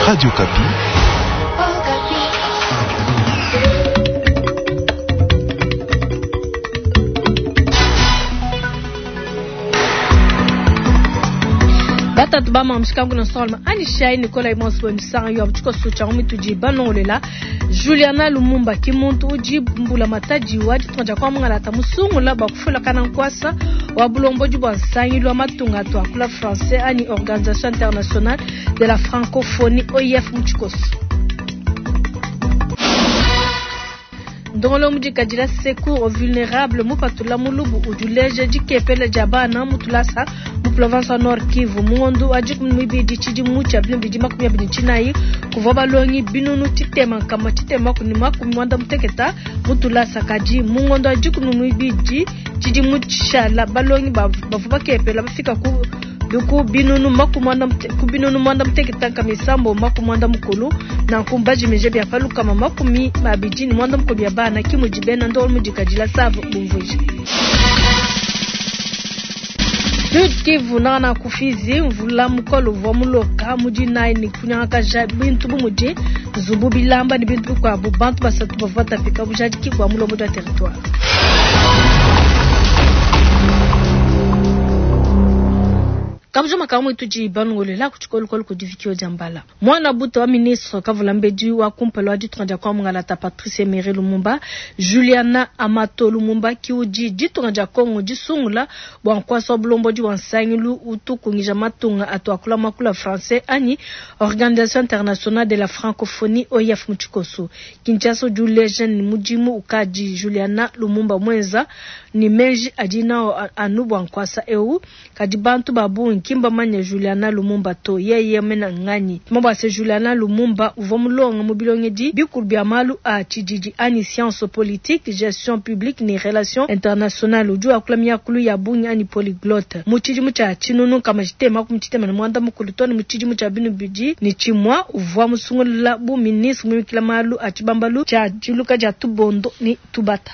Radio Okapi. Batatu ba mamushikangu na solma ani shai Nicolas Imos wemisanga yo abuchiko sucha mitudi banongolela Juliana Lumumba kimuntu uji mbula mataji wa ditonja kwa mungala musungula bakufula kana nkwasa wa bulomboji bwa nsangilu wa matunga to akula français ani Organisation internationale de la francophonie OIF muchikoso. Ndongolo mudikadila secours aux vulnérables mupatula mulubu ujuleje dikepele dia bana mutulasa mu province Nord Kivu. Mungondo wa dikumi mibidi tshidimu tshia binu bidi makumi abidi tshinayi kuvua balongi binunu tshitema nkama tshitema kuni makumi mwanda muteketa mutulasa. Kadi mungondo wa dikumi mibidi tshidimu tshishala balongi bavua bakepela bafika ku ku binunu makumi mwanda ku binunu mwanda muteketa nkama isambo makumi mwanda mukulu nanku mbajimije bya palukama makumi abidi ni mwanda mukulu bya bana kimudi bena ndolo mudikadila savo bumvuije. Sud Kivu nana kufizi mvula mukolo uvua muloka mudi nayi ni kunyangakaja bintu bu mudi nzubu bilamba ni bintu bikuabu bantu basatu bavua batapika bujadiki bua mulombodi wa territoire. Kabujuma kamwe tudi bangolela ku tshikolokolo ku divikio dia mbala. Mwana buta wa ministre kavula mbedi wa kumpala wa ditunga dia kwa mungalata Patrice Emery Lumumba, Juliana Amato Lumumba kiudi ditunga dia Kongo disungula bua nkwasa wa bulombodi wa nsangilu utukungija matunga atu akula makula français ani Organisation internationale de la francophonie OIF muchikoso. Kinshasa udi uleja ni mudimu ukadi Juliana Lumumba mwenza ni meji adi nao anu bua nkwasa eu kadi bantu ba bungi kimba manya Juliana Lumumba to yeye mena ngani. Mabase Juliana Lumumba uvua mulonga mu bilongedi bikulu bia malu a tshididi ani science politique, gestion publique ni relations internationales udi wakula miakulu ya bungi ani polyglotte. Mu tshidimu tshia tshinunu kama tshitema ku tshitema ne mwanda mukulu to ne mu tshidimu tshia binu bidi ni tshimua uvua musungula bu ministre muimikila malu a tshibambalu tshia diluka dia tubondo ni tubata.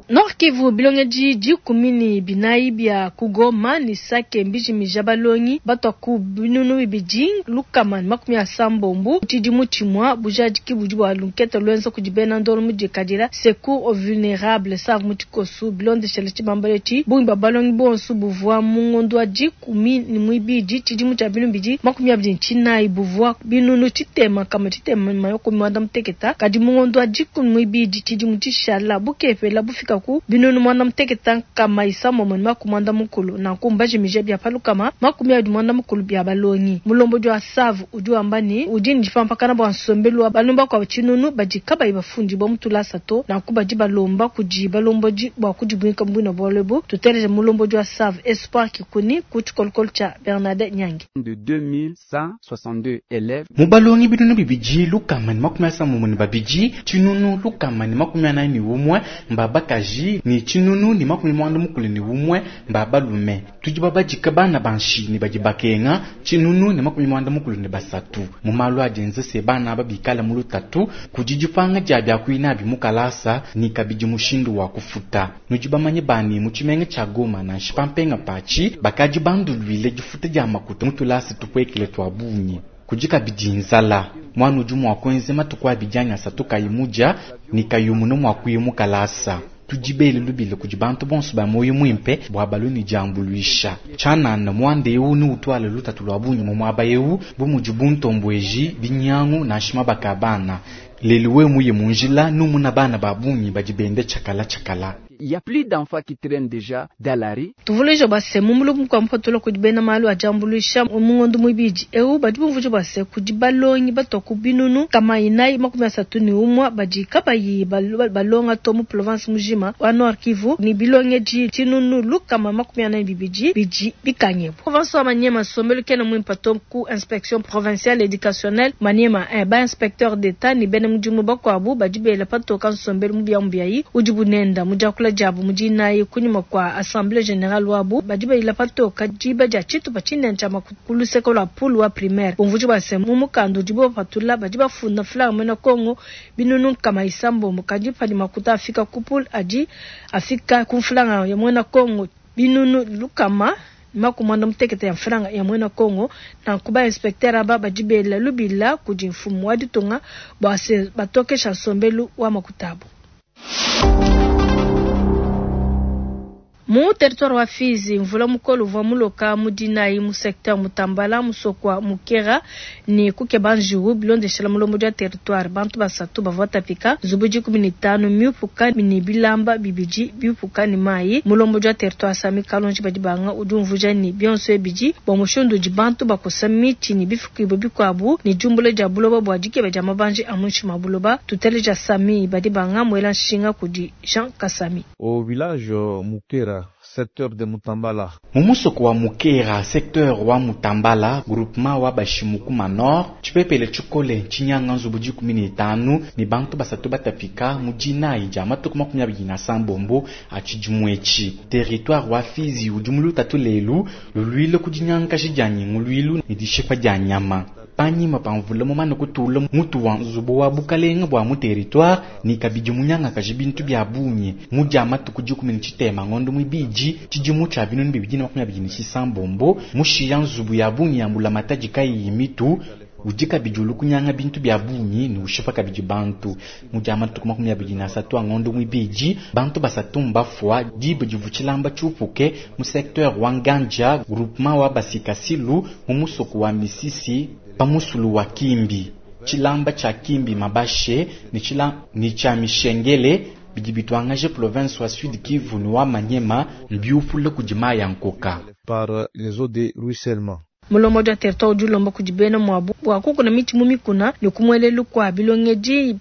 Nord Kivu bilongedi dikumi ni binayi bia kugoma ni sake mbijimija balongi batwa ku binunu bibidi lukama ni makumi asambombo tshidimu tshimua bujadiki budi bua lunkete lwenza kudi bena ndolo mudikadila secours aux vulnérables savu mutikosu bilondeshele tshibambalo etshi bungi bua balongi bonso buvua mu ngondo wa dikumi ni muibidi tshidimu tshia binu bidi makumi abidi ni tshinayi buvua binunu tshitema kama tshitema makumi mwanda muteketa kadi mu ngondo wa dikumi muibidi tshidimu tshishala bukepela bufika ku binunu mwanda muteketa nkama isambombo ni makumi mwanda mukulu nanku mbajimije bia palukama makumi abidi mwanda mukulu bia balongi. Mulombodi wa savu udi wamba ni udi ni dipampakana bua nsombelu wa balomba kwa tshinunu badi kabayi bafundi bua mutulasa to nanku badi balomba kudi balombodi bua kudibuika mbwina bualu tuteleje mulombodi wa savu Espoir Kikuni ku tshikolokolo tshia Bernadette Nyangi. De 2162 élèves. Mu balongi binunu bibidi lukama ni makumi asambombo ni babidi tshinunu lukama ni makumi anayi ni umwe mbabakaji ni tshinunu ni makumi mwanda mukulu ni umwe mbabalume. Tudi babadika bana banshi ni badi bakenga tshinunu ni makumi mwanda mukulu ni basatu. Mu malu adienze se bana babikala mu lutatu kudi dipanga dia bia kuina bi mukalasa ni kabidi mushindu wa kufuta. Nudi bamanye bani mu tshimenga tshia Goma na nshipampenga pachi bakadi banduluile difuta dia makuta mutulasa tupuekele tua bungi. Kudi kabidi nzala mwana udi mua kuenza matuku abidi anyi asatu kayi mudia ni kayi munu mua kuya mukalasa. Tudibele lubile kudi bantu bonso ba moyo muimpe bua balu ni diambuluisha. Tshianana muanda eu ni utwala lutatu lua bungi mu muaba eu bu mudi buntombweji binyangu na nshima bakabana. Lelu we muye mu njila numuna bana ba bungi badi bende tshakala tshakala. Il y a plus d'enfants qui traînent déjà dans la rue. Tuvuleje base mu mulubu kwa mpatula kudi bena malu a diambuluisha mu ngondo muibidi eu badi bumvuje base kudi balongi batwa ku binunu kama inayi makumi asatu ni umwa badi kabayi balonga to mu province mujima wa Nord Kivu ni bilongedi tshinunu lukama makumi anayi bibidi bidi bikanye. Province wa Maniema sombelu kena muimpa to ku inspection provinciale éducationnelle Maniema ba inspecteur d'état ni bena mudimu bakwabu badi bela patoka nsombelu mubia mubiayi udi bunenda mudiakula diabu mudinayi kunyima kwa assemblée générale wabu badi bayila patoka diba dia tshitupa tshinene tshia ku luseke lua pulu wa primaire. Bumvuji bua se mu mukanda udibo bapatula badi bafunda flag mwena Kongo binunu nkama isambombo kadi padi makuta afika ku pulu adi afika ku flag ya mwena Kongo binunu lukama Maku muanda mutekete ya mfranga ya muena Kongo. Nanku ba inspecteur aba badi bela lubila kudi mfumu wa ditunga bua se batokesha nsombelu wa makuta abu. Mu territoire wa Fizi, mvula mukole uvua muloka mu dinayi mu secteur Mutambala, musoko wa Mukera ne kukeba njiwu bilondeshela mulombodi wa territoire. Bantu basatu bavua batapika, nzubu 15 miupuka ne bilamba bibidi biupuka ne mayi. Mulombodi wa territoire Sami Kalonji Badibanga udi umvuija ne bionso ebidi bua mushindu udi bantu bakosa mitshi ne bifukibua bikuabu ne diumbula dia buloba bua dikeba dia mabanji a muinshi mua buloba. Tuteleja Sami Badibanga muela nshinga kudi Jean Kasami. Au village Mukera, secteur de Mutambala. Mu musoko wa Mukera, secteur wa Mutambala, groupement wa Bashimukuma Nord, tshipepele tshikole tshinyanga nzubu 15 ne bantu basatu batapika mu dinayi dia matuku 29 a tshidimu etshi. Territoire wa Fizi udi mu lutatu lelu luluile ku dinyangaji dia nyinguluilu ne dishipa dia nyama. Panyima pa mvula mumane kutula mutu wa nzubu wa bukalenga bua mu territoire ne kabidi munyangakaji bintu bia bungi mu dia matuku 13 ngondo mwibidi tshidimu tshia 2026 mushiya nzubu ya bungi ya mbulamatadi kayiyi mitu udi kabidi ulukunyanga bintu bia bungi ne ushipa kabidi bantu. Mu dia matuku 23 ngondo mwibidi bantu basatu mbafua diba divu tshilamba tshiupuke mu secteur wa Nganja groupement wa Basikasilu mu musoko wa Misisi pamusulu wa Kimbi. Tshilamba tshia Kimbi mabashe ne tshia Mishengele bidi bitwangaje province wa Sud Kivu ne wa Maniema mbiupula kudi mayi ya nkoka par les eaux de ruissellement. Mulombodi wa territoire udi ulomba kudi bena muabu bua kukuna mitshi mu mikuna ne kumuelelu kwa bilongedi,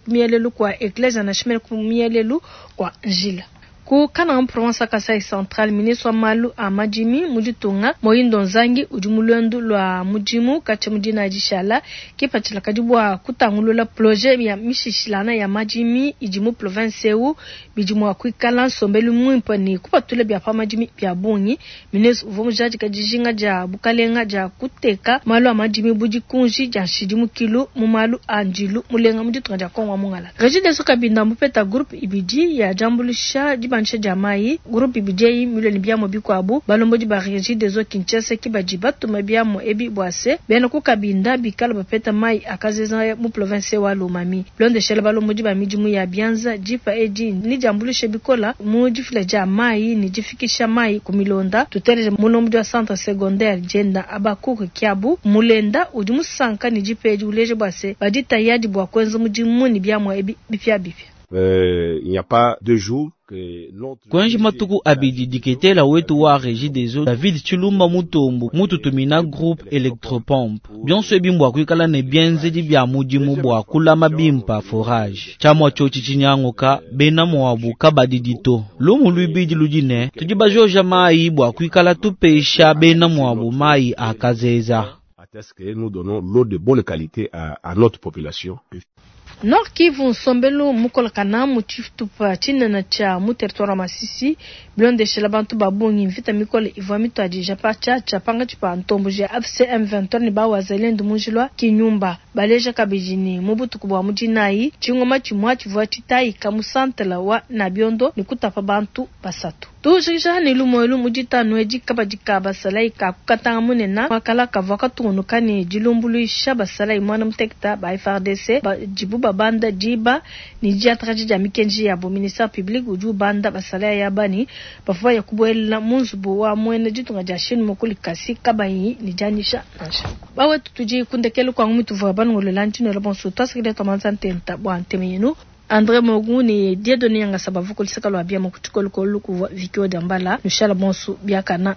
kumuelelu kwa eklezia na shimene kumuelelu kwa njila. Ku Kananga province ya Kasai Central, ministre wa malu a madimi mu ditunga Moyindo Nzangi udi mu luendu lua mudimu katshia mu dina dishala kipatshila kadi bua kutangulula projet ya mishishilana ya madimi idi mu province eu bidi mua kuikala nsombelu muimpe ne kupatula bia pa madimi bia bungi. Ministre uvua mujadika dijinga dia bukalenga dia kuteka malu a madimi bu dikunji dia nshidimukilu mu malu a ndilu mulenga mu ditunga dia Kongo wa Mongala. Regideso Kabinda mupeta groupe ibidi ya diambulusha dibanisha dia mayi groupe ibidi eyi milio ne biamo bikuabu balombodi ba Regideso Kinshasa ki badi batuma biamo ebi bua se bena ku Kabinda bikala bapeta mayi akazeza mu province wa Lomami. Bilondeshela balombodi ba midimu ya bianza dipa edi ni diambulusha bikola mu difila dia mayi ni difikisha mayi ku milonda. Tuteleje mulombodi wa centre secondaire Jenda Abakuku Kiabu Mulenda udi musanka ni dipa edi uleje bua se badi tayadi bua kuenza mudimu ni biamo ebi bipia bipia. Il n'y a pas 2 jours Kwenji matuku abidi diketela wetu wa Regideso David Chilumba Mutombo mututumina groupe electropompe bionso ebi mbwa kuikala ne bienzedi bia mudimu bua kulama bimpa forage tshiamua tshiotshi tshinyanguka bena muabu kabadidito lumu luibidi ludi ne tudi bajoja mayi bua kuikala tupesha bena muabu mayi akazeza. Est-ce que nous donnons l'eau de bonne qualité à notre population? Nord Kivu nsombelu mukolakana mu tshitupa tshinene tshia mu territoire wa Masisi bilondeshela bantu ba bungi mvita mikole ivua mituadija pa tshiatshia pangatshi pa ntomboji ya AFC M23 ne ba Wazalendo mu njila Kinyumba. Baleja kabidi ne mu butuku bua mudinayi tshingoma tshimua tshivua tshitayika mu santela wa Nabiondo ne kutapa bantu basatu. Tujikija ne lumu elu mu ditanu edi kabadi ka basalayi ka kukatanga munene wakala kavua katungunuka ne dilumbuluisha basalayi mwana muteketa ba FARDC badibu babanda diba ne diatraji dia mikenji yabo. Ministère public udi ubanda basalayi yabani bavua ya kubuela mu nzubu wa mwene ditunga dia Chine mukuli kasi kabayi ne dianyisha nansha. Bawetu tudi kundekelu kwa ngumu tuvua banungolola ntino la bonso twasikile twamanza ntenta bua nteme yenu. André Mogu ni Dieudonné Yanga Sabavu kulisaka lwa bia mu kutshikolokolo kuvua Vikio Dambala Michel Bonsu biakana.